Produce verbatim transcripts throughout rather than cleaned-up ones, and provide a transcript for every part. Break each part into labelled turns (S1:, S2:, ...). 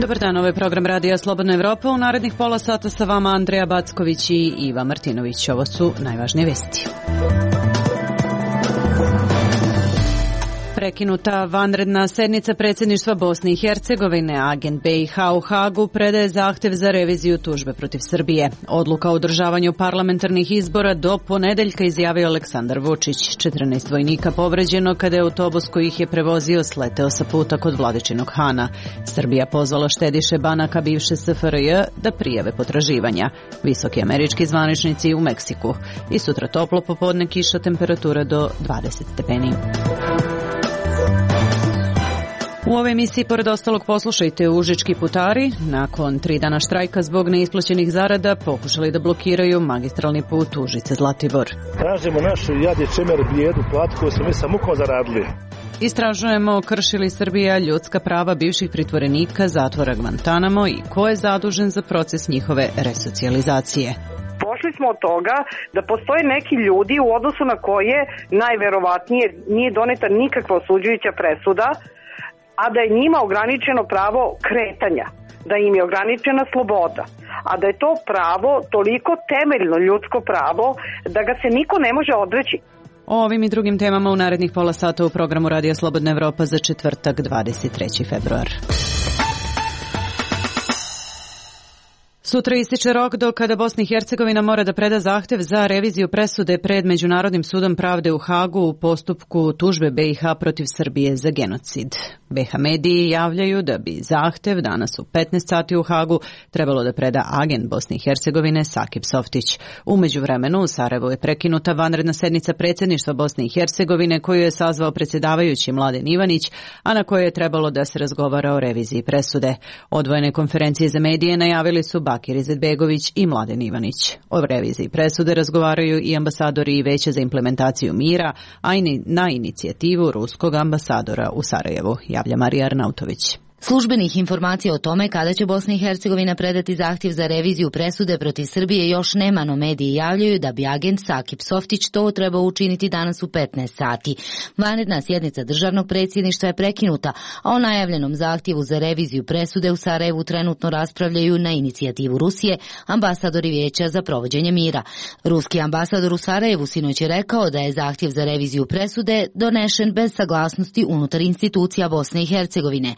S1: Dobar dan, ovo je program Radija Slobodna Evropa. U narednih pola sata sa vama Andreja Backović i Iva Martinović. Ovo su najvažnije vesti. Prekinuta vanredna sednica predsjedništva Bosne i Hercegovine, agent B i H u Hagu predaje zahtev za reviziju tužbe protiv Srbije. Odluka o održavanju parlamentarnih izbora do ponedeljka, izjavio Aleksandar Vučić. četrnaest vojnika povređeno kada je autobus koji ih je prevozio sleteo sa puta kod Vladičinog Hana. Srbija pozvala štediše banaka bivše S F R J da prijave potraživanja. Visoki američki zvaničnici u Meksiku. I sutra toplo popodne, kiša, temperatura do dvadeset stepeni. U ovoj emisiji, pored ostalog, poslušajte: užički putari nakon tri dana štrajka zbog neisplaćenih zarada pokušali da blokiraju magistralni put Užice-Zlatibor.
S2: Tražimo našu jadi čemer bijedu platu koju smo mi sa mukom zaradili.
S1: Istražujemo krši li Srbija ljudska prava bivših pritvorenika zatvora Guantanamo i ko je zadužen za proces njihove resocijalizacije.
S3: Pošli smo od toga da postoje neki ljudi u odnosu na koje najverovatnije nije doneta nikakva osuđujuća presuda, a da je njima ograničeno pravo kretanja, da im je ograničena sloboda, a da je to pravo toliko temeljno ljudsko pravo da ga se niko ne može odreći.
S1: O ovim i drugim temama u narednih pola sata u programu Radija Slobodna Evropa za četvrtak, dvadeset treći februar. Sutra ističe rok do kada Bosna i Hercegovina mora da preda zahtev za reviziju presude pred Međunarodnim sudom pravde u Hagu u postupku tužbe B i H protiv Srbije za genocid. B H mediji javljaju da bi zahtev danas u petnaest sati u Hagu trebalo da preda agent Bosne i Hercegovine Sakip Softić. U međuvremenu u Sarajevu je prekinuta vanredna sednica predsjedništva Bosne i Hercegovine koju je sazvao predsjedavajući Mladen Ivanić, a na kojoj je trebalo da se razgovara o reviziji presude. Odvojene konferencije za medije najavili su Bakir Izetbegović i Mladen Ivanić. O reviziji presude razgovaraju i ambasadori i Veća za implementaciju mira, a i na inicijativu ruskog ambasadora u Sarajevu, javlja Marija Arnautović.
S4: Službenih informacija o tome kada će Bosna i Hercegovina predati zahtjev za reviziju presude protiv Srbije još nema, no mediji javljaju da bi agent Sakip Softić to trebao učiniti danas u petnaest sati. Vanredna sjednica državnog predsjedništva je prekinuta, a o najavljenom zahtjevu za reviziju presude u Sarajevu trenutno raspravljaju na inicijativu Rusije ambasadori Vijeća za provođenje mira. Ruski ambasador u Sarajevu sinoć je rekao da je zahtjev za reviziju presude donešen bez saglasnosti unutar institucija Bosne i Hercegovine.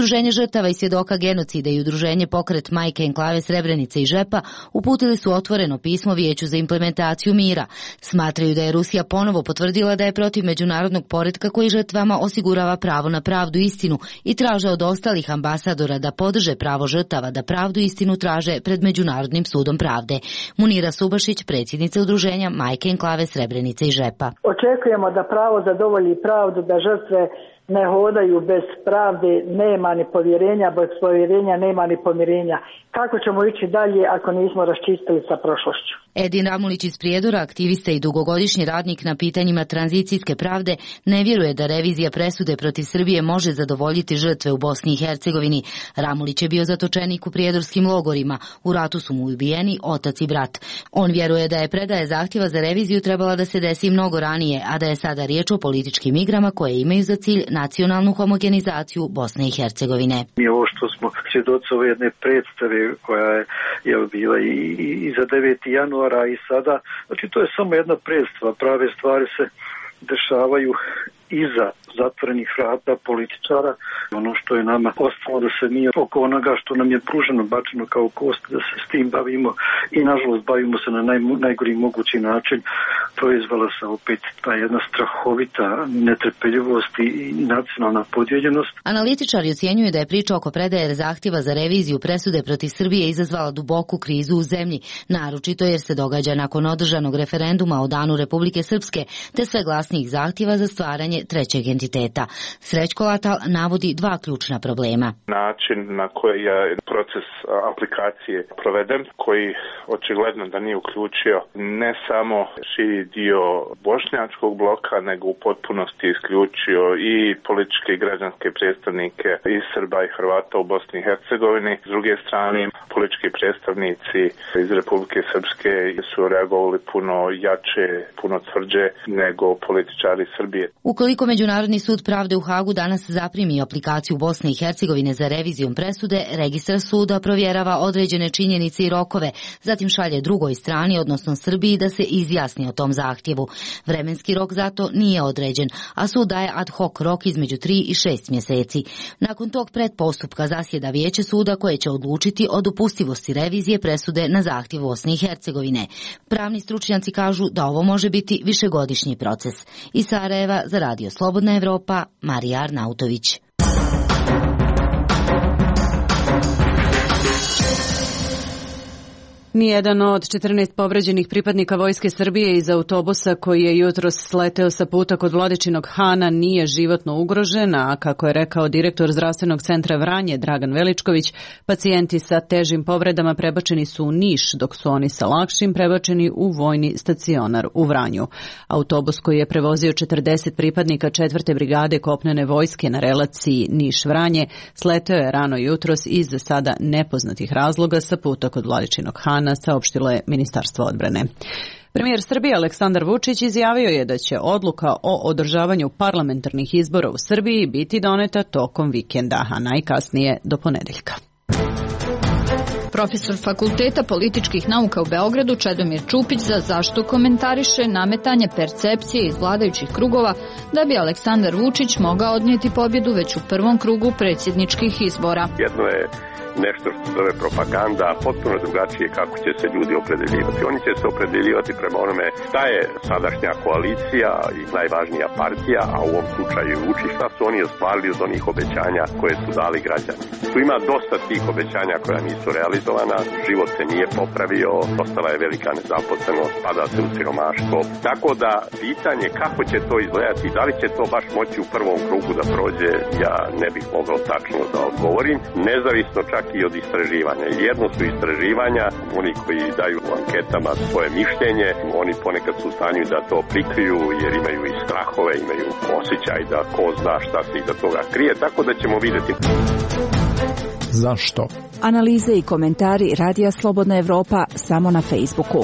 S4: Udruženje žrtava i svjedoka genocida i udruženje Pokret Majke Enklave Srebrenice i Žepa uputili su otvoreno pismo Vijeću za implementaciju mira. Smatraju da je Rusija ponovo potvrdila da je protiv međunarodnog poretka koji žrtvama osigurava pravo na pravdu i istinu i traže od ostalih ambasadora da podrže pravo žrtava da pravdu i istinu traže pred Međunarodnim sudom pravde. Munira Subašić, predsjednica udruženja Majke Enklave Srebrenice i Žepa.
S5: Očekujemo da pravo zadovolji pravdu, da žrtve ne hodaju bez pravde, nema ni povjerenja, bez povjerenja nema ni pomirenja. Kako ćemo ići dalje ako nismo raščistili sa prošlošću?
S4: Edin Ramulić iz Prijedora, aktivista i dugogodišnji radnik na pitanjima tranzicijske pravde, ne vjeruje da revizija presude protiv Srbije može zadovoljiti žrtve u Bosni i Hercegovini. Ramulić je bio zatočenik u prijedorskim logorima. U ratu su mu ubijeni otac i brat. On vjeruje da je predaje zahtjeva za reviziju trebala da se desi mnogo ranije, a da je sada riječ o političkim igrama koje imaju za cilj nacionalnu homogenizaciju Bosne i Hercegovine.
S6: Mi ovo što smo svjedoci ove jedne predstave koja je, je bila i, i za deveti januara i sada, znači to je samo jedna predstava, prave stvari se dešavaju iza zatvorenih vrata političara. Ono što je nama ostalo da se mi oko onoga što nam je pruženo, bačeno kao kost, da se s tim bavimo i nažalost bavimo se na naj, najgori mogući način, proizvala se opet ta jedna strahovita netrpeljivost i nacionalna podijeljenost.
S4: Analitičari ocjenjuju da je priča oko predaje zahtjeva za reviziju presude protiv Srbije izazvala duboku krizu u zemlji, naročito jer se događa nakon održanog referenduma o Danu Republike Srpske, te sve glasnijih zahtjeva za stvaranje trećeg entiteta. Srećko Latal navodi dva ključna problema.
S7: Način na koji je proces aplikacije proveden, koji očigledno da nije uključio ne samo širi dio bošnjačkog bloka, nego u potpunosti isključio i političke i građanske predstavnike i Srba i Hrvata u Bosni i Hercegovini. S druge strane, politički predstavnici iz Republike Srpske su reagovali puno jače, puno tvrđe nego političari Srbije.
S4: Ukoliko Ukoliko Međunarodni sud pravde u Hagu danas zaprimi aplikaciju Bosne i Hercegovine za revizijom presude, registar suda provjerava određene činjenice i rokove, zatim šalje drugoj strani, odnosno Srbiji, da se izjasni o tom zahtjevu. Vremenski rok zato nije određen, a sud daje ad hoc rok između tri i šest mjeseci. Nakon tog predpostupka zasjeda vijeće suda koje će odlučiti o dopustivosti revizije presude na zahtjev Bosne i Hercegovine. Pravni stručnjaci kažu da ovo može biti višegodišnji proces. Iz Sarajeva za Radio Slobodna Evropa, Marija Arnautović.
S1: Nijedan od četrnaest povređenih pripadnika Vojske Srbije iz autobusa koji je jutros sleteo sa puta kod Vladičinog Hana nije životno ugrožen, a kako je rekao direktor zdravstvenog centra Vranje Dragan Veličković, pacijenti sa težim povredama prebačeni su u Niš, dok su oni sa lakšim prebačeni u vojni stacionar u Vranju. Autobus koji je prevozio četrdeset pripadnika četvrte brigade kopnene vojske na relaciji Niš-Vranje sleteo je rano jutros iz za sada nepoznatih razloga sa puta kod Vladičinog Hana, saopštilo je Ministarstvo odbrane. Premijer Srbije Aleksandar Vučić izjavio je da će odluka o održavanju parlamentarnih izbora u Srbiji biti doneta tokom vikenda, a najkasnije do ponedeljka.
S8: Profesor Fakulteta političkih nauka u Beogradu Čedomir Čupić za zašto komentariše nametanje percepcije iz vladajućih krugova da bi Aleksandar Vučić mogao odnijeti pobjedu već u prvom krugu predsjedničkih izbora.
S9: Jedno je nešto što zove propaganda, potpuno drugačije kako će se ljudi opredeljivati. Oni će se opredeljivati prema onome šta je sadašnja koalicija i najvažnija partija, a u ovom slučaju Vučić, šta su oni ostvarili od onih obećanja koje su dali građani. Tu ima dosta tih obećanja koja nisu realizovana, život se nije popravio, ostala je velika nezaposlenost, pada se u siromaštvo. Tako da pitanje kako će to izgledati, da li će to baš moći u prvom krugu da prođe, ja ne bih mogao tačno da odgovorim, nezavisno čak i od istraživanja. Jedno su istraživanja, oni koji daju u anketama svoje mišljenje, oni ponekad su u stanju da to prikriju jer imaju i strahove, imaju osjećaj da ko zna šta se iza toga krije, tako da ćemo vidjeti.
S10: Zašto? Analize i komentari Radija Slobodna Evropa samo na Facebooku.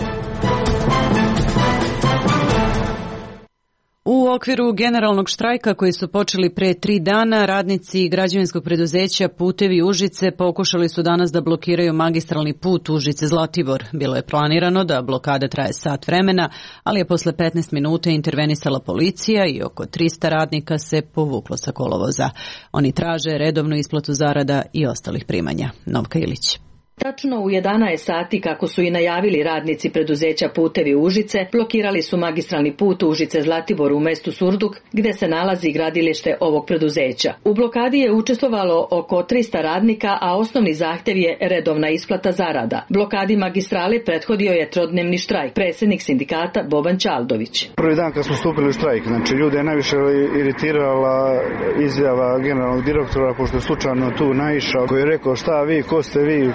S1: U okviru generalnog štrajka koji su počeli pre tri dana, radnici građevinskog preduzeća Putevi Užice pokušali su danas da blokiraju magistralni put Užice-Zlatibor. Bilo je planirano da blokada traje sat vremena, ali je posle petnaest minuta intervenisala policija i oko trista radnika se povuklo sa kolovoza. Oni traže redovnu isplatu zarada i ostalih primanja. Novka Ilić.
S11: Tačno u jedanaest sati, kako su i najavili radnici preduzeća Putevi Užice, blokirali su magistralni put Užice-Zlatibor u mestu Surduk, gde se nalazi gradilište ovog preduzeća. U blokadi je učestvovalo oko trista radnika, a osnovni zahtjev je redovna isplata zarada. Blokadi magistrale prethodio je trodnevni štrajk. Predsjednik sindikata Boban Čaldović.
S12: Prvi dan kad smo stupili u štrajk, znači ljude je najviše iritirala izjava generalnog direktora, pošto je slučajno tu naišao, koji je rekao šta vi, ko ste vi,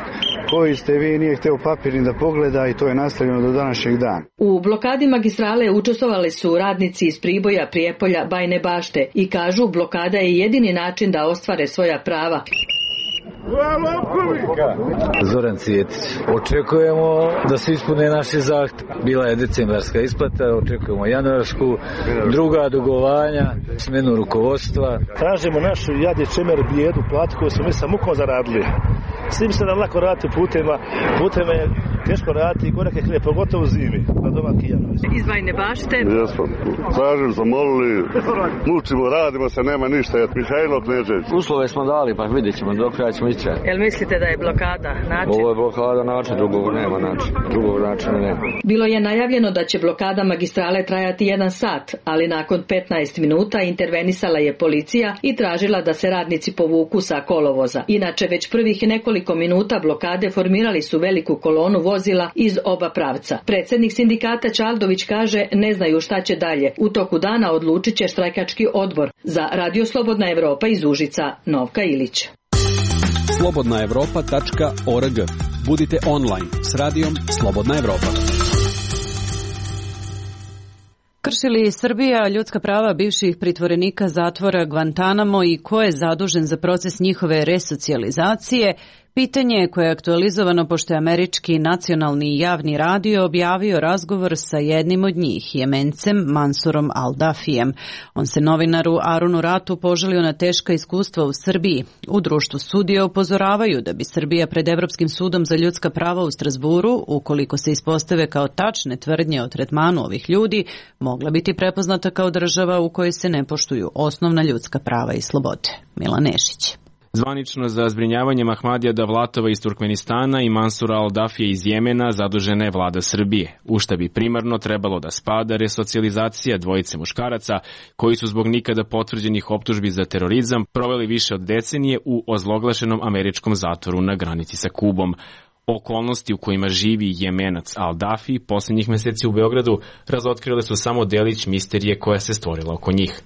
S12: koji ste vi, nije hteo papir ni da pogleda, i to je nastavljeno do današnjeg dana.
S11: U blokadi magistrale učestvovali su radnici iz Priboja, Prijepolja, Bajne Bašte i kažu blokada je jedini način da ostvare svoja prava.
S13: Zoran Cijetić. Očekujemo da se ispune naše zahtjeve. Bila je decembarska isplata, očekujemo januarsku, druga dugovanja, smenu rukovodstva.
S2: Tražimo našu jadi čemer bijedu platu koju smo mi sa mukom zaradili. S tim se nam lako raditi putima, putima je teško raditi i gorake hljebe, pogotovo u zimi, na doma kijano.
S11: Iz Bajne Bašte?
S14: Jesmo, tražim, zamolili, mučimo, radimo se, nema ništa, je Mihajlo Knežević.
S15: Uslove smo dali, pa vidjet ćemo dok kada ćemo ići.
S11: Jel mislite da je blokada način?
S15: Ovo je blokada način, drugog nema način, drugog načina nema.
S11: Bilo je najavljeno da će blokada magistrale trajati jedan sat, ali nakon petnaest minuta intervenisala je policija i tražila da se radnici povuku sa kolovoza. Inače, već prvih nekoliko minuta blokade formirali su veliku kolonu vozila iz oba pravca. Predsjednik sindikata Čaldović kaže ne znaju šta će dalje. U toku dana odlučit će štrajkački odbor. Za Radio Slobodna Evropa iz Užica, Novka Ilić.
S16: slobodna evropa tačka org. Budite online s radijom Slobodna Evropa.
S1: Krši li Srbija ljudska prava bivših pritvorenika zatvora Guantanamo i ko je zadužen za proces njihove resocijalizacije? Pitanje koje je aktualizovano pošto je američki nacionalni i javni radio objavio razgovor sa jednim od njih, Jemencem Mansurom Al-Dafijem. On se novinaru Arunu Ratu požalio na teška iskustva u Srbiji. U društvu sudija upozoravaju da bi Srbija pred Evropskim sudom za ljudska prava u Strazburu, ukoliko se ispostave kao tačne tvrdnje o tretmanu ovih ljudi, mogla biti prepoznata kao država u kojoj se ne poštuju osnovna ljudska prava i slobode. Milan Nešić.
S17: Zvanično za zbrinjavanje Ahmadija Davlatova iz Turkmenistana i Mansura Al-Dafije iz Jemena zadužena je vlada Srbije, u šta bi primarno trebalo da spada resocijalizacija dvojice muškaraca koji su zbog nikada potvrđenih optužbi za terorizam proveli više od decenije u ozloglašenom američkom zatvoru na granici sa Kubom. Okolnosti u kojima živi Jemenac Al-Dafi posljednjih meseci u Beogradu razotkrile su samo delić misterije koja se stvorila oko njih.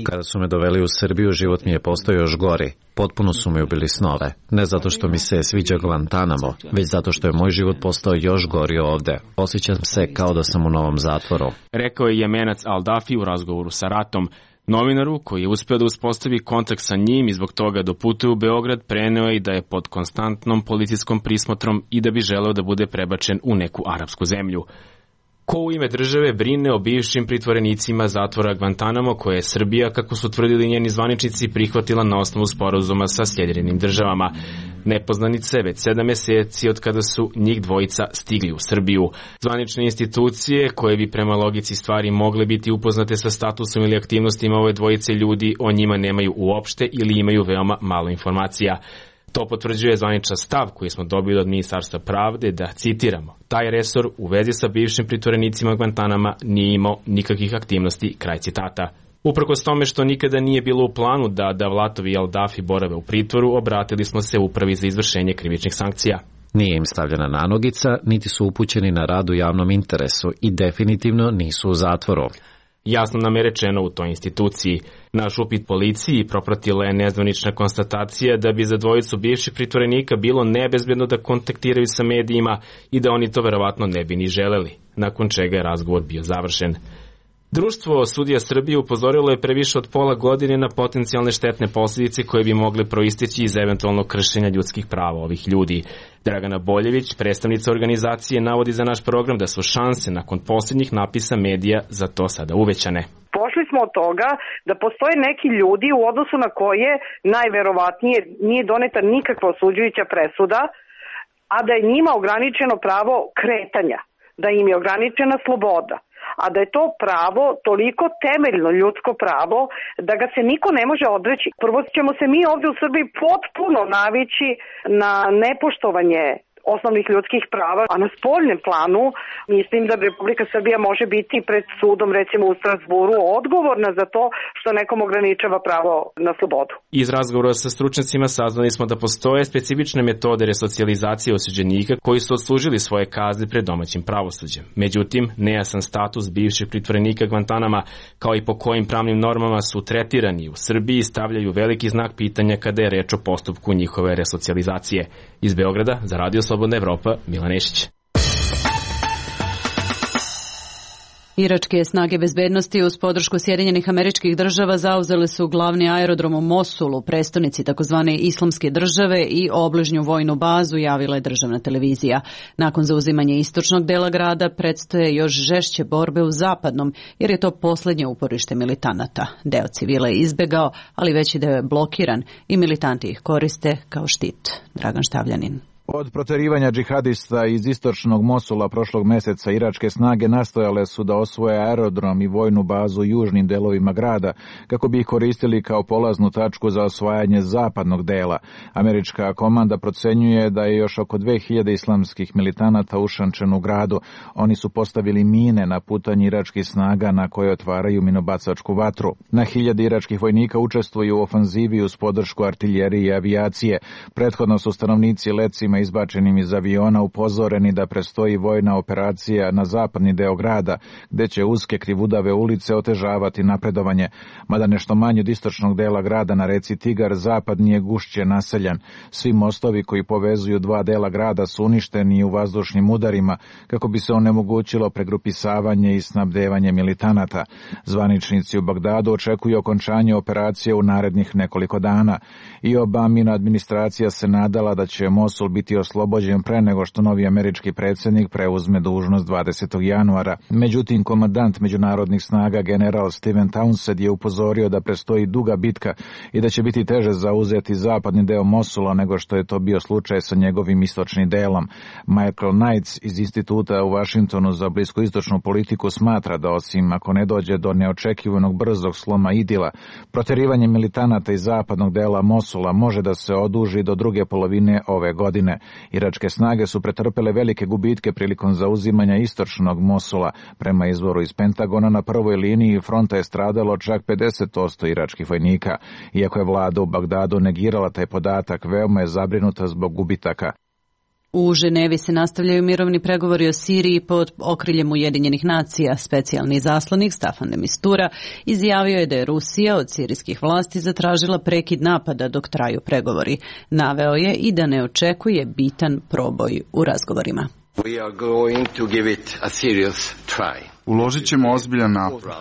S18: Kada su me doveli u Srbiju, život mi je postao još gori. Potpuno su mi ubili snove. Ne zato što mi se sviđa Guantanamo, već zato što je moj život postao još gori ovde. Osjećam se kao da sam u novom zatvoru.
S17: Rekao je Jemenac Al-Dafi u razgovoru sa Ratom. Novinaru, koji je uspeo da uspostavi kontakt sa njim i zbog toga doputuje u Beograd, preneo je i da je pod konstantnom policijskom prismotrom i da bi želeo da bude prebačen u neku arapsku zemlju. Ko u ime države brine o bivšim pritvorenicima zatvora Guantanamo, koje je Srbija, kako su tvrdili njeni zvaničnici, prihvatila na osnovu sporazuma sa Sjedinjenim državama. Nepoznanice već sedam meseci od kada su njih dvojica stigli u Srbiju. Zvanične institucije, koje bi prema logici stvari mogle biti upoznate sa statusom ili aktivnostima ove dvojice ljudi, o njima nemaju uopšte ili imaju veoma malo informacija. To potvrđuje zvaničan stav koji smo dobili od Ministarstva pravde da, citiramo, taj resor u vezi sa bivšim pritvorenicima Guantanama nije imao nikakvih aktivnosti, kraj citata. Uprkos tome što nikada nije bilo u planu da Davlatovi i Al-Dafi borave u pritvoru, obratili smo se Upravi za izvršenje krivičnih sankcija.
S18: Nije im stavljena nanogica, niti su upućeni na rad u javnom interesu i definitivno nisu u zatvoru.
S17: Jasno nam je rečeno u toj instituciji. Naš upit policiji propratila je nezvanična konstatacija da bi za dvojicu bivših pritvorenika bilo nebezbedno da kontaktiraju sa medijima i da oni to verovatno ne bi ni želeli, nakon čega je razgovor bio završen. Društvo sudija Srbije upozorilo je pre više od pola godine na potencijalne štetne posljedice koje bi mogle proisteći iz eventualnog kršenja ljudskih prava ovih ljudi. Dragana Boljević, predstavnica organizacije, navodi za naš program da su šanse nakon posljednjih napisa medija za to sada uvećane.
S3: Pošli smo od toga da postoje neki ljudi u odnosu na koje najverovatnije nije doneta nikakva osuđujuća presuda, a da je njima ograničeno pravo kretanja, da im je ograničena sloboda. A da je to pravo toliko temeljno ljudsko pravo da ga se niko ne može odreći. Prvo ćemo se mi ovdje u Srbiji potpuno navići na nepoštovanje osnovnih ljudskih prava, a na spoljnem planu mislim da Republika Srbija može biti pred sudom, recimo u Strazburu, odgovorna za to što nekom ograničava pravo na slobodu.
S17: Iz razgovora sa stručnjacima saznali smo da postoje specifične metode resocijalizacije osuđenika koji su odslužili svoje kazne pred domaćim pravosuđem. Međutim, nejasan status bivših pritvorenika Guantanama, kao i po kojim pravnim normama su tretirani u Srbiji, stavljaju veliki znak pitanja kada je reč o postupku njihove resocijalizacije. Iz Beograda za Radio Slobodna Evropa, Milan Nešić.
S1: Iračke snage bezbednosti uz podršku Sjedinjenih Američkih Država zauzele su glavni aerodrom u Mosulu, prestonici takozvane Islamske države, i obližnju vojnu bazu, javila je državna televizija. Nakon zauzimanja istočnog dela grada predstoje još žešće borbe u zapadnom, jer je to posljednje uporište militanata. Deo civila je izbegao, ali veći deo je blokiran i militanti ih koriste kao štit. Dragan Štavljanin.
S19: Od proterivanja džihadista iz istočnog Mosula prošlog meseca iračke snage nastojale su da osvoje aerodrom i vojnu bazu u južnim delovima grada kako bi ih koristili kao polaznu tačku za osvajanje zapadnog dela. Američka komanda procenjuje da je još oko dve hiljade islamskih militanata ušančeno u gradu. Oni su postavili mine na putanji iračkih snaga na koje otvaraju minobacačku vatru. Na hiljade iračkih vojnika učestvuju u ofanzivi uz podršku artiljerije i avijacije. Prethodno su stanovnici Lecima novinarima izbačenim iz aviona upozoreni da prestoji vojna operacija na zapadni deo grada, gde će uske krivudave ulice otežavati napredovanje, mada nešto manje od istočnog dela grada na reci Tigar zapadni je gušće naseljan. Svi mostovi koji povezuju dva dela grada su uništeni u vazdušnim udarima kako bi se onemogućilo pregrupisavanje i snabdevanje militanata. Zvaničnici u Bagdadu očekuju okončanje operacije u narednih nekoliko dana i Obamina administracija se nadala da će Mosul biti oslobođen pre nego što novi američki predsjednik preuzme dužnost dvadesetog januara. Međutim, komandant međunarodnih snaga general Steven Townsend je upozorio da prestoji duga bitka i da će biti teže zauzeti zapadni deo Mosula nego što je to bio slučaj sa njegovim istočnim delom. Michael Knights iz instituta u Vašingtonu za bliskoistočnu politiku smatra da osim ako ne dođe do neočekivanog brzog sloma idila, proterivanje militanata iz zapadnog dela Mosula može da se oduži do druge polovine ove godine. Iračke snage su pretrpele velike gubitke prilikom zauzimanja istočnog Mosula. Prema izvoru iz Pentagona, na prvoj liniji fronta je stradalo čak pedeset posto iračkih vojnika. Iako je vlada u Bagdadu negirala taj podatak, veoma je zabrinuta zbog gubitaka.
S1: U Ženevi se nastavljaju mirovni pregovori o Siriji pod okriljem Ujedinjenih nacija. Specijalni zaslanik Staffan de Mistura izjavio je da je Rusija od sirijskih vlasti zatražila prekid napada dok traju pregovori. Naveo je i da ne očekuje bitan proboj u razgovorima.
S20: We are going to give it a serious try.
S21: Uložit ćemo ozbiljan napor.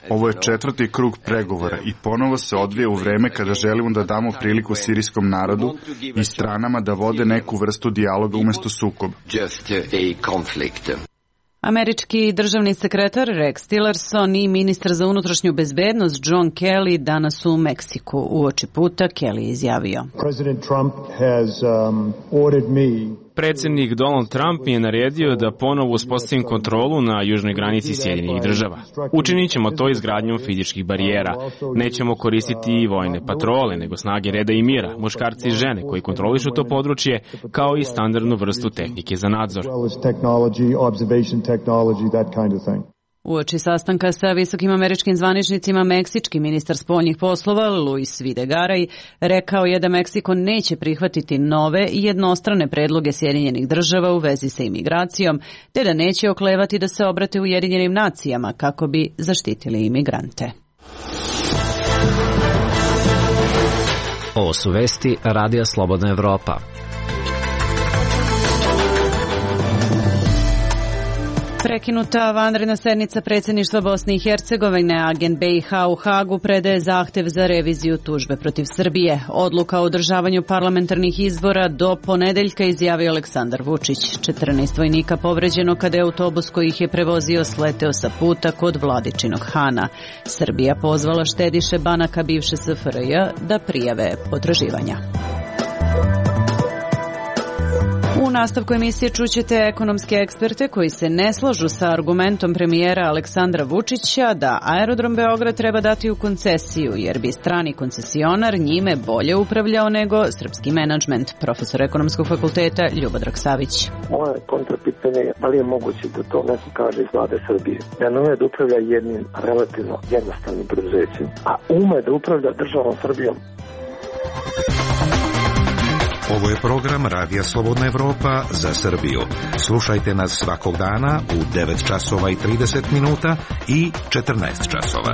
S21: Ovo je četvrti krug pregovora i ponovo se odvija u vreme kada želimo da damo priliku sirijskom narodu i stranama da vode neku vrstu dijaloga umjesto sukoba.
S1: Američki državni sekretar Rex Tillerson i ministar za unutrašnju bezbednost John Kelly danas u Meksiku. Uoči puta Kelly je izjavio:
S22: President Trump has um, ordered me
S17: Predsjednik Donald Trump mi je naredio da ponovo uspostavim kontrolu na južnoj granici Sjedinjenih država. Učinit ćemo to izgradnjom fizičkih barijera. Nećemo koristiti i vojne patrole, nego snage reda i mira, muškarci i žene koji kontrolišu to područje, kao i standardnu vrstu tehnike za nadzor.
S1: Uoči sastanka sa visokim američkim zvaničnicima, meksički ministar spoljnih poslova Luis Videgaray rekao je da Meksiko neće prihvatiti nove i jednostrane predloge Sjedinjenih država u vezi sa imigracijom, te da neće oklevati da se obrate Ujedinjenim nacijama kako bi zaštitili imigrante.
S18: Ovo su vesti Radija Slobodna Evropa.
S1: Prekinuta vanredna sednica predsjedništva Bosne i Hercegovine, agent B i H u Hagu predaje zahtev za reviziju tužbe protiv Srbije. Odluka o održavanju parlamentarnih izbora do ponedeljka, izjavio Aleksandar Vučić. četrnaest vojnika povređeno kada je autobus koji ih je prevozio sleteo sa puta kod Vladičinog Hana. Srbija pozvala štediše banaka bivše S F R J da prijave potraživanja. U nastavku emisije čućete ekonomske eksperte koji se ne slažu sa argumentom premijera Aleksandra Vučića da aerodrom Beograd treba dati u koncesiju, jer bi strani koncesionar njime bolje upravljao nego srpski menadžment. Profesor ekonomskog fakulteta Ljubodrag Savić.
S23: Moje kontrapitanje je da li je moguće da to neko kaže iz vlade Srbije. Da ne ume da upravlja jednim relativno jednostavnim preduzećem, a ume da upravlja državom Srbijom.
S24: Ovo je program Radija Slobodna Evropa za Srbiju. Slušajte nas svakog dana u devet časova i trideset minuta i četrnaest časova.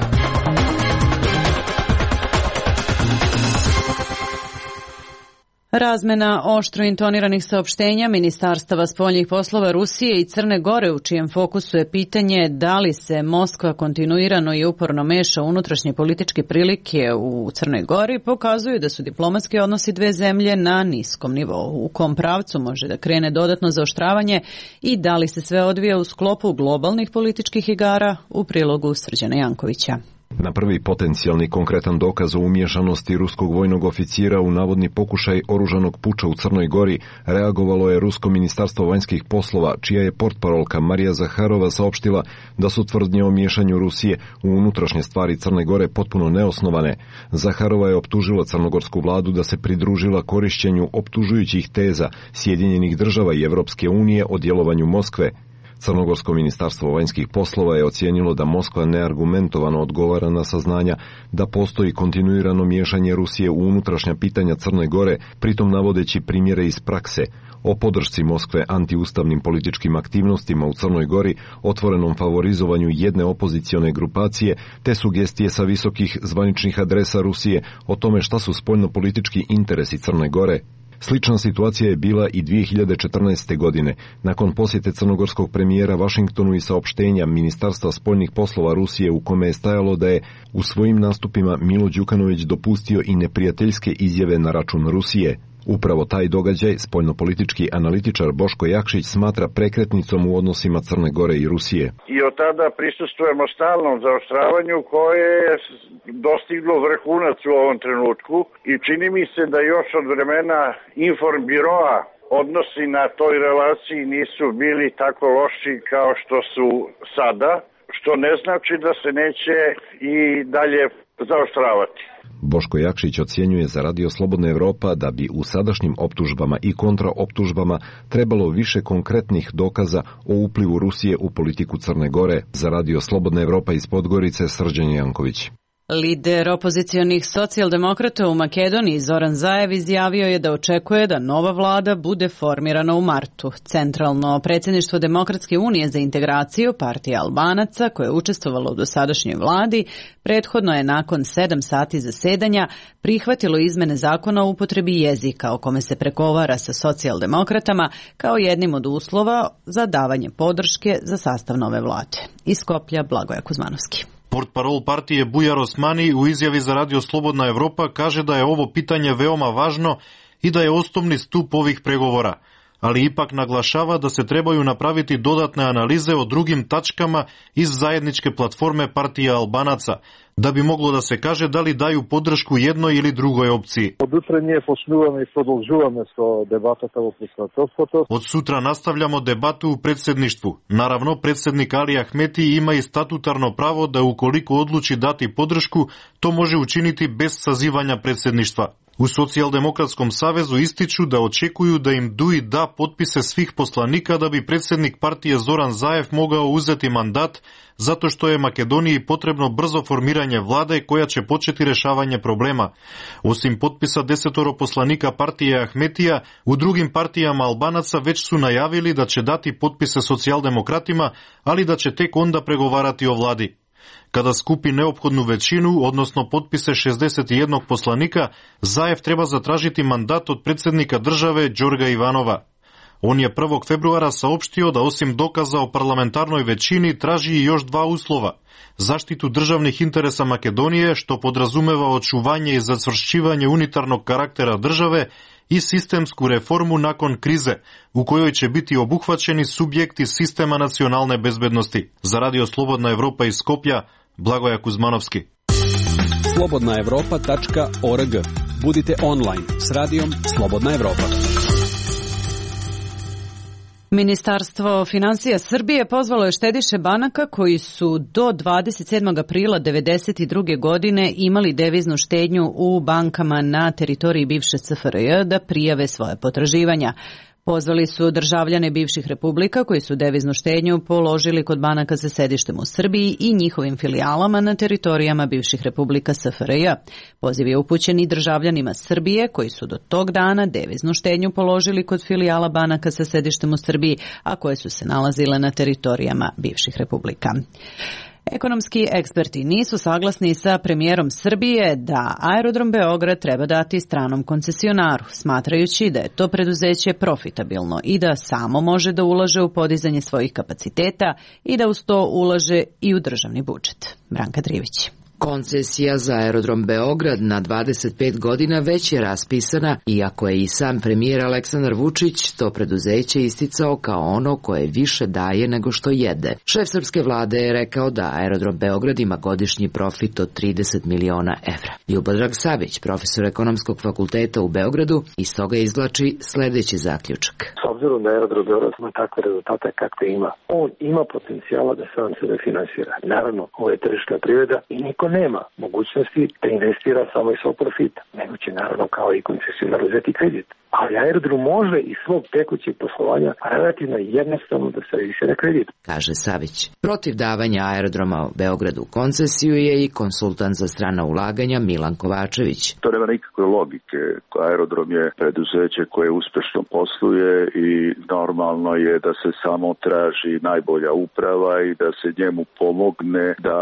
S1: Razmena oštro intoniranih saopštenja ministarstava spoljnih poslova Rusije i Crne Gore, u čijem fokusu je pitanje da li se Moskva kontinuirano i uporno meša unutrašnje političke prilike u Crnoj Gori, pokazuju da su diplomatski odnosi dve zemlje na niskom nivou. U kom pravcu može da krene dodatno zaoštravanje i da li se sve odvija u sklopu globalnih političkih igara, u prilogu Srđana Jankovića.
S25: Na prvi potencijalni konkretan dokaz o umiješanosti ruskog vojnog oficira u navodni pokušaj oružanog puča u Crnoj Gori reagovalo je Rusko ministarstvo vanjskih poslova, čija je portparolka Marija Zaharova saopštila da su tvrdnje o miješanju Rusije u unutrašnje stvari Crne Gore potpuno neosnovane. Zaharova je optužila crnogorsku vladu da se pridružila korišćenju optužujućih teza Sjedinjenih država i Evropske unije o djelovanju Moskve. Crnogorsko ministarstvo vanjskih poslova je ocijenilo da Moskva neargumentovano odgovara na saznanja da postoji kontinuirano miješanje Rusije u unutrašnja pitanja Crne Gore, pritom navodeći primjere iz prakse o podršci Moskve antiustavnim političkim aktivnostima u Crnoj Gori, otvorenom favorizovanju jedne opozicione grupacije, te sugestije sa visokih zvaničnih adresa Rusije o tome šta su spoljnopolitički interesi Crne Gore. Slična situacija je bila i dvije hiljade četrnaeste. godine, nakon posjete crnogorskog premijera Vašingtonu i saopštenja Ministarstva spoljnih poslova Rusije u kome je stajalo da je u svojim nastupima Milo Đukanović dopustio i neprijateljske izjave na račun Rusije. Upravo taj događaj spoljnopolitički analitičar Boško Jakšić smatra prekretnicom u odnosima Crne Gore i Rusije.
S4: I od tada prisustvujemo stalnom zaoštravanju koje je dostiglo vrhunac u ovom trenutku i čini mi se da još od vremena Informbiroa odnosi na toj relaciji nisu bili tako loši kao što su sada, što ne znači da se neće i dalje zaoštravati.
S25: Boško Jakšić ocjenjuje za Radio Slobodna Evropa da bi u sadašnjim optužbama i kontraoptužbama trebalo više konkretnih dokaza o uplivu Rusije u politiku Crne Gore. Za Radio Slobodna Evropa iz Podgorice, Srđan Janković.
S1: Lider opozicionih socijaldemokrata u Makedoniji Zoran Zaev izjavio je da očekuje da nova vlada bude formirana u martu. Centralno predsjedništvo Demokratske unije za integraciju, partija Albanaca, koje je učestvovalo u dosadašnjoj vladi, prethodno je nakon sedam sati zasedanja prihvatilo izmene zakona o upotrebi jezika o kome se pregovara sa socijaldemokratama kao jednim od uslova za davanje podrške za sastav nove vlade. Iz Skoplja, Blagoja Kuzmanovski.
S5: Portparol partije Bujar Osmani u izjavi za Radio Slobodna Evropa kaže da je ovo pitanje veoma važno i da je osnovni stup ovih pregovora, ali ipak naglašava da se trebaju napraviti dodatne analize o drugim tačkama iz zajedničke platforme partija Albanaca, da bi moglo da se kaže da li daju podršku jednoj ili drugoj opciji. Od sutra nastavljamo debatu u predsjedništvu. Naravno, predsjednik Ali Ahmeti ima i statutarno pravo da ukoliko odluči dati podršku, to može učiniti bez sazivanja predsjedništva. U Socijaldemokratskom savezu ističu da očekuju da im D U I da potpise svih poslanika da bi predsjednik partije Zoran Zaev mogao uzeti mandat, zato što je Makedoniji potrebno brzo formiranje vlade koja će početi rešavanje problema. Osim potpisa desetoro poslanika partije Ahmetija, u drugim partijama Albanaca već su najavili da će dati potpise socijaldemokratima, ali da će tek onda pregovarati o vladi. Kada skupi neophodnu većinu, odnosno potpise šezdeset jedan poslanika, Zaev treba zatražiti mandat od predsjednika države Đorga Ivanova. On je prvog februara saopštio da osim dokaza o parlamentarnoj većini traži i još dva uslova. Zaštitu državnih interesa Makedonije, što podrazumeva očuvanje i zacvršćivanje unitarnog karaktera države, i sistemsku reformu nakon krize, u kojoj će biti obuhvaćeni subjekti sistema nacionalne bezbednosti. Za Radio Slobodna Evropa iz Skoplja, Blagoja Kuzmanovski.
S16: slobodna evropa tačka org. Budite online s radijom Slobodna Evropa.
S1: Ministarstvo finansija Srbije pozvalo je štediše banaka koji su do dvadeset sedmog aprila devedeset druge. godine imali deviznu štednju u bankama na teritoriji bivše C F R J da prijave svoje potraživanja. Pozvali su državljane bivših republika koji su deviznu štednju položili kod banaka sa sedištem u Srbiji i njihovim filijalama na teritorijama bivših republika S F R J. Poziv je upućen i državljanima Srbije koji su do tog dana deviznu štednju položili kod filijala banaka sa sedištem u Srbiji, a koje su se nalazile na teritorijama bivših republika. Ekonomski eksperti nisu saglasni sa premijerom Srbije da Aerodrom Beograd treba dati stranom koncesionaru, smatrajući da je to preduzeće profitabilno i da samo može da ulaže u podizanje svojih kapaciteta i da uz to ulaže i u državni budžet. Branka Drivić.
S6: Koncesija za Aerodrom Beograd na dvadeset pet godina već je raspisana, iako je i sam premijer Aleksandar Vučić to preduzeće isticao kao ono koje više daje nego što jede. Šef srpske vlade je rekao da Aerodrom Beograd ima godišnji profit od trideset miliona evra. Ljubodrag Savić, profesor ekonomskog fakulteta u Beogradu, iz toga izvlači sledeći zaključak.
S23: S obzirom da Aerodrom Beograd ima takve rezultate kakve ima, on ima potencijala da sam sebe finansira. Naravno, ovo je tržišna privreda i niko niko nema mogućnosti da investira samo iz svog profita, nego će naravno kao i koncesionar uzeti kredit. Ali aerodrom može iz svog tekućeg poslovanja relativno jednostavno da servisira kredit.
S6: Kaže Savić. Protiv davanja aerodroma u Beogradu u koncesiju je i konsultant za strana ulaganja Milan Kovačević.
S7: To nema nikakve logike. Aerodrom je preduzeće koje uspešno posluje i normalno je da se samo traži najbolja uprava i da se njemu pomogne da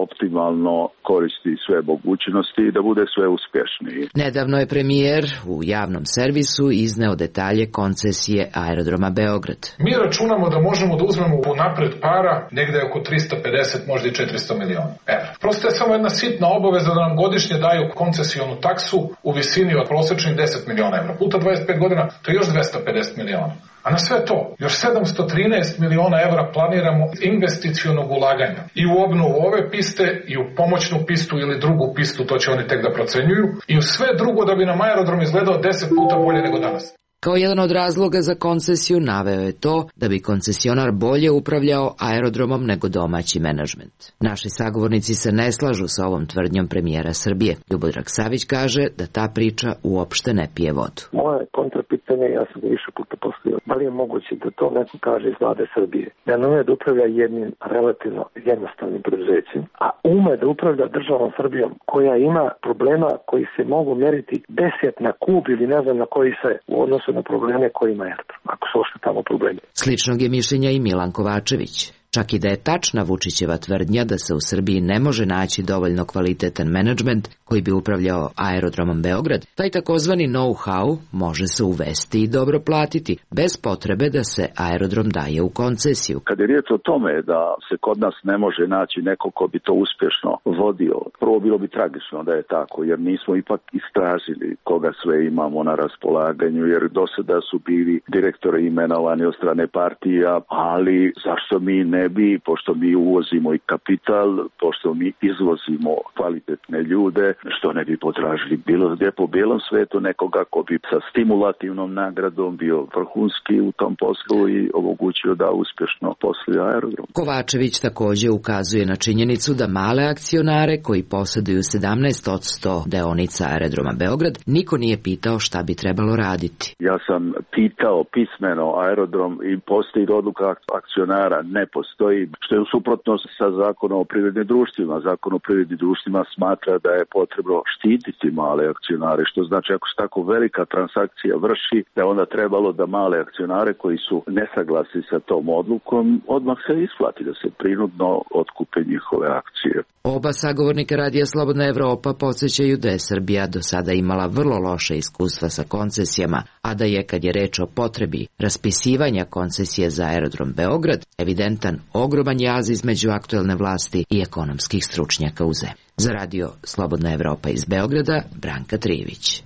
S7: optimalno koristi sve mogućnosti i da bude sve uspješniji.
S6: Nedavno je premijer u javnom servisu izneo detalje koncesije aerodroma Beograd.
S8: Mi računamo da možemo da uzmemo u napred para negde oko trista pedeset, možda i četiristo miliona evra. Prosto je samo jedna sitna obaveza da nam godišnje daju koncesionu taksu u visini od prosečnih deset miliona evra. Puta dvadeset pet godina, to je još dvesta pedeset miliona. A na sve to, još sedamsto trinaest miliona evra planiramo investicionog ulaganja i u obnovu ove piste i u pomoćnu pistu ili drugu pistu, to će oni tek da procenjuju, i u sve drugo da bi nam aerodrom izgledao deset puta bolje nego danas.
S6: Kao jedan od razloga za koncesiju naveo je to da bi koncesionar bolje upravljao aerodromom nego domaći menadžment. Naši sagovornici se ne slažu sa ovom tvrdnjom premijera Srbije. Ljubodrag Savić kaže da ta priča uopšte ne pije vodu.
S23: Moje kontrapitanje, ja sam ga više puta postavio, da li je moguće da to neko kaže iz vlade Srbije, da ne ume da upravlja jednim relativno jednostavnim preduzećem, a ume da upravlja državom Srbijom koja ima problema koji se mogu mjeriti deset na kub ili ne znam na koji se u odnosu na probleme koje ima aerodrom, ako su ošte tamo problemi.
S6: Sličnog je mišljenja i Milan Kovačević. Čak i da je tačna Vučićeva tvrdnja da se u Srbiji ne može naći dovoljno kvalitetan menadžment koji bi upravljao aerodromom Beograd, taj takozvani know-how može se uvesti i dobro platiti, bez potrebe da se aerodrom daje u koncesiju.
S7: Kad je riječ o tome da se kod nas ne može naći neko ko bi to uspješno vodio, prvo bilo bi tragično da je tako, jer nismo ipak istražili koga sve imamo na raspolaganju, jer do sada su bili direktori imenovani od strane partija, ali zašto mi ne bi, pošto mi uvozimo i kapital, pošto mi izvozimo kvalitetne ljude, što ne bi potražili bilo gdje po bijelom svetu nekoga ko bi sa stimulativnom nagradom bio vrhunski u tom poslu i omogućio da uspješno posluje aerodrom.
S6: Kovačević također ukazuje na činjenicu da male akcionare koji posjeduju sedamnaest posto deonica aerodroma Beograd niko nije pitao šta bi trebalo raditi.
S7: Ja sam pitao pismeno aerodrom i postoji odluka akcionara, ne postoji, što je u suprotnosti sa zakonom o privrednim društvima. Zakon o privrednim društvima smatra da je potrebno štititi male akcionare, što znači ako se tako velika transakcija vrši, da je onda trebalo da male akcionare koji su nesaglasni sa tom odlukom odmah se isplati, da se prinudno otkupe njihove akcije.
S6: Oba sagovornika Radija Slobodna Evropa podsjećaju da je Srbija do sada imala vrlo loše iskustva sa koncesijama, a da je, kad je reč o potrebi raspisivanja koncesije za aerodrom Beograd, evidentan ogroman jaz između aktuelne vlasti i ekonomskih stručnjaka u zemlji. Za Radio Slobodna Evropa iz Beograda, Branka Trijević.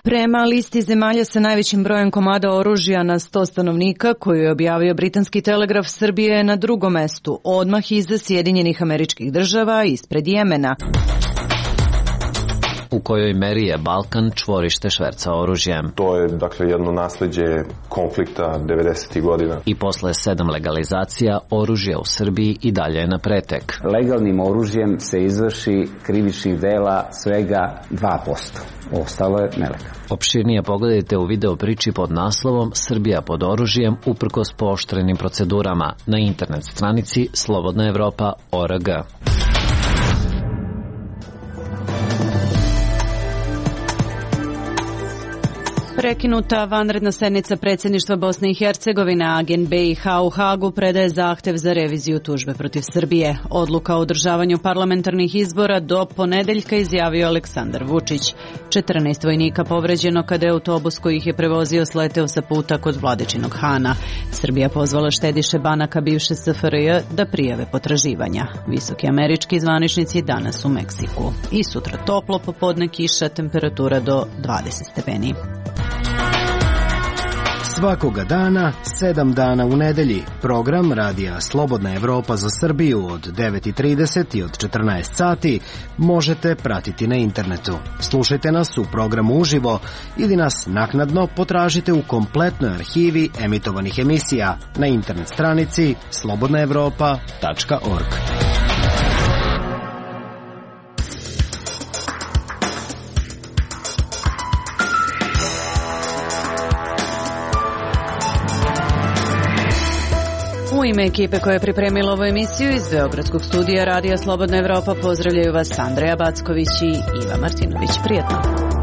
S1: Prema listi zemalja sa najvećim brojem komada oružja na sto stanovnika, koju je objavio britanski telegraf, Srbije je na drugom mestu, odmah iza Sjedinjenih Američkih Država, ispred Jemena.
S18: U kojoj meri je Balkan čvorište šverca oružjem.
S9: To je, dakle, jedno nasleđe konflikta devedesetih godina.
S18: I posle sedam legalizacija, oružje u Srbiji i dalje je na pretek.
S10: Legalnim oružjem se izvrši krivičnih dela svega dva posto. Ostalo je nelegalno.
S18: Opširnije pogledajte u video priči pod naslovom Srbija pod oružjem uprkos pooštrenim procedurama na internet stranici slobodna evropa tačka org.
S1: Prekinuta vanredna sednica predsjedništva Bosne i Hercegovine, agent B i H u Hagu predaje zahtev za reviziju tužbe protiv Srbije. Odluka o održavanju parlamentarnih izbora do ponedeljka, izjavio Aleksandar Vučić. četrnaest vojnika povređeno kada je autobus koji ih je prevozio sleteo sa puta kod Vladičinog Hana. Srbija pozvala štediše banaka bivše S F R J da prijave potraživanja. Visoki američki zvaničnici danas u Meksiku. I sutra toplo, popodne kiša, temperatura do dvadeset stepeni.
S2: Svakoga dana, sedam dana u nedelji, program Radija Slobodna Evropa za Srbiju od devet i trideset i od četrnaest sati možete pratiti na internetu. Slušajte nas u programu uživo ili nas naknadno potražite u kompletnoj arhivi emitovanih emisija na internet stranici slobodna evropa tačka org.
S1: U ime ekipe koja je pripremila ovu emisiju iz Beogradskog studija Radija Slobodna Evropa pozdravljaju vas Andreja Backović i Iva Martinović. Prijetno!